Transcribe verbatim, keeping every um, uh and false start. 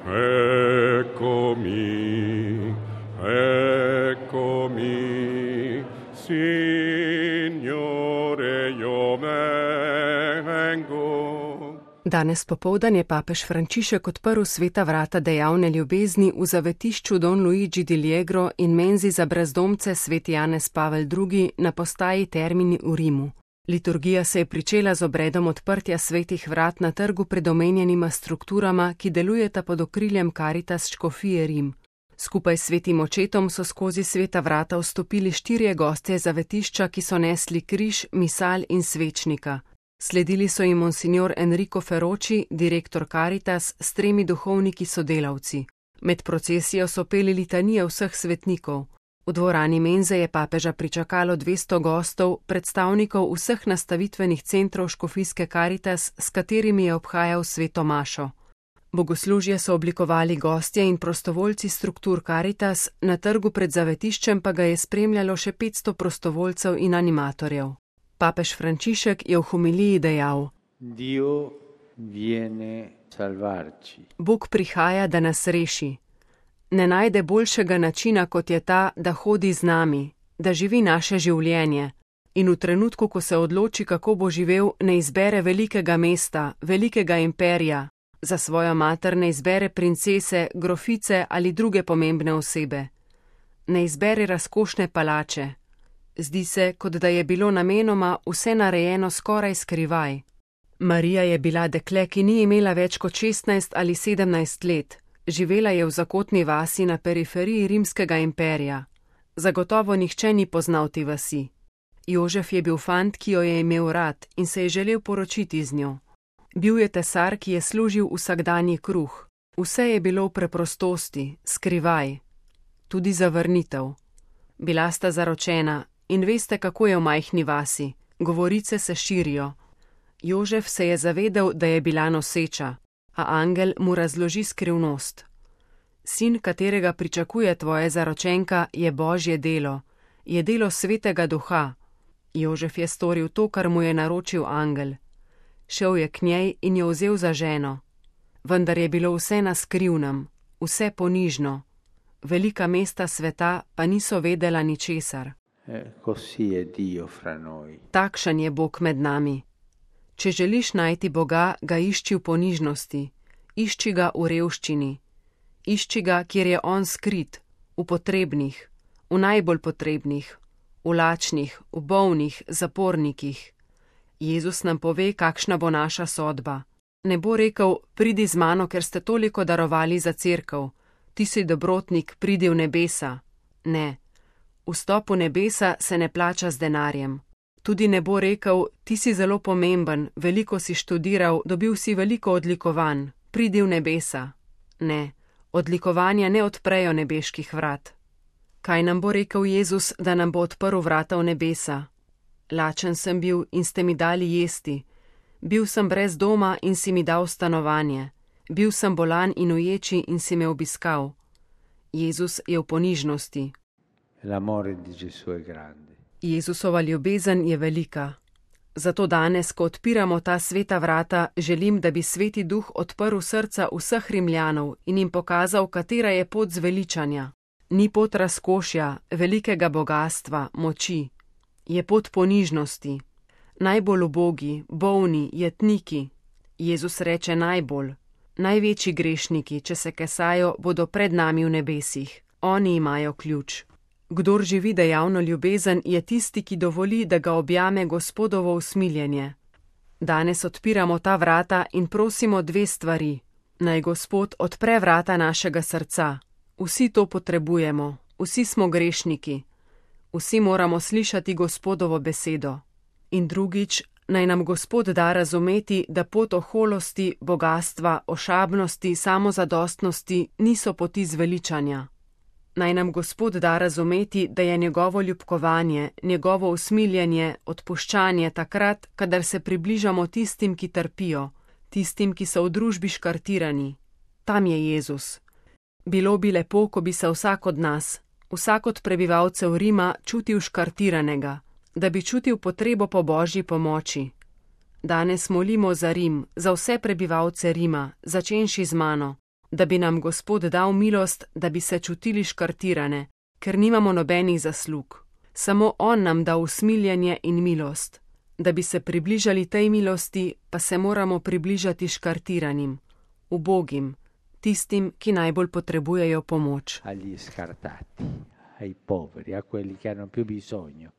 Eccomi, eccomi, Signore, io vengo. Danes popoldan je papež Frančišek odprl sveta vrata dejavne ljubezni v zavetišču Don Luigi di Liegro in menzi za brezdomce sveti Janez Pavel drugi na postaji Termini v Rimu. Liturgija se je pričela z obredom odprtja svetih vrat na trgu pred omenjenima strukturama, ki delujeta pod okriljem Caritas škofije Rim. Skupaj s svetim očetom so skozi sveta vrata vstopili štirje gostje zavetišča, ki so nesli križ, misal in svečnika. Sledili so jim monsignor Enrico Ferroci, direktor Caritas, s tremi duhovniki sodelavci. Med procesijo so peli litanije vseh svetnikov. V dvorani menze je papeža pričakalo dvesto gostov, predstavnikov vseh nastavitvenih centrov škofijske Caritas, s katerimi je obhajal sveto mašo. Bogoslužje so oblikovali gostje in prostovoljci struktur Caritas, na trgu pred zavetiščem pa ga je spremljalo še petsto prostovoljcev in animatorjev. Papež Frančišek je v homiliji dejal: Dio viene salvarci. Bog prihaja, da nas reši. Ne najde boljšega načina, kot je ta, da hodi z nami, da živi naše življenje. In v trenutku, ko se odloči, kako bo živel, ne izbere velikega mesta, velikega imperija, za svojo mater ne izbere princese, grofice ali druge pomembne osebe. Ne izbere razkošne palače. Zdi se, kot da je bilo namenoma vse narejeno skoraj skrivaj. Marija je bila dekle, ki ni imela več kot šestnajst ali sedemnajst let. Živela je v zakotni vasi na periferiji rimskega imperija. Zagotovo nihče ni poznal te vasi. Jožef je bil fant, ki jo je imel rad in se je želel poročiti z njo. Bil je tesar, ki je služil vsakdanji kruh. Vse je bilo v preprostosti, skrivaj. Tudi zavrnitev. Bila sta zaročena in veste, kako je v majhni vasi. Govorice se širijo. Jožef se je zavedel, da je bila noseča, a angel mu razloži skrivnost. Sin, katerega pričakuje tvoja zaročenka, je Božje delo, je delo svetega duha. Jožef je storil to, kar mu je naročil angel. Šel je k njej in jo vzel za ženo. Vendar je bilo vse na skrivnem, vse ponižno. Velika mesta sveta pa niso vedela ničesar. Così è Dio fra noi. Takšen je Bog med nami. Če želiš najti Boga, ga išči v ponižnosti, išči ga v revščini, išči ga, kjer je on skrit, v potrebnih, v najbolj potrebnih, v lačnih, v bolnih, zapornikih. Jezus nam pove, kakšna bo naša sodba. Ne bo rekel, pridi z mano, ker ste toliko darovali za cerkev, ti si dobrotnik, pridi v nebesa. Ne, vstop v nebesa se ne plača z denarjem. Tudi ne bo rekel, ti si zelo pomemben, veliko si študiral, dobil si veliko odlikovanj, pridi v nebesa. Ne, odlikovanja ne odprejo nebeških vrat. Kaj nam bo rekel Jezus, da nam bo odprl vrata v nebesa? Lačen sem bil in ste mi dali jesti. Bil sem brez doma in si mi dal stanovanje. Bil sem bolan in uječi in si me obiskal. Jezus je v ponižnosti. L'amore di Gesù è grande. Jezusova ljubezen je velika. Zato danes, ko odpiramo ta sveta vrata, želim, da bi sveti duh odprl srca vseh Rimljanov in jim pokazal, katera je pot zveličanja. Ni pot razkošja, velikega bogastva, moči. Je pot ponižnosti. Najbolj ubogi, bolni, jetniki. Jezus reče najbolj. Največji grešniki, če se kesajo, bodo pred nami v nebesih. Oni imajo ključ. Kdor živi dejavno ljubezen, je tisti, ki dovoli, da ga objame Gospodovo usmiljenje. Danes odpiramo ta vrata in prosimo dve stvari. Naj Gospod odpre vrata našega srca. Vsi to potrebujemo, vsi smo grešniki. Vsi moramo slišati Gospodovo besedo. In drugič, naj nam Gospod da razumeti, da pot oholosti, bogastva, ošabnosti, samozadostnosti niso poti zveličanja. Naj nam Gospod da razumeti, da je njegovo ljubkovanje, njegovo usmiljenje, odpuščanje takrat, kadar se približamo tistim, ki trpijo, tistim, ki so v družbi škartirani. Tam je Jezus. Bilo bi lepo, ko bi se vsak od nas, vsak od prebivalcev Rima čutil škartiranega, da bi čutil potrebo po Božji pomoči. Danes molimo za Rim, za vse prebivalce Rima, začenši z mano. da bi nam Gospod dal milost, da bi se čutili škartirane, ker nimamo nobenih zaslug. Samo on nam da usmiljenje in milost. Da bi se približali tej milosti, pa se moramo približati škartiranim, ubogim, tistim, ki najbolj potrebujejo pomoč. Agli scartati, ai poveri, a quelli che hanno più bisogno.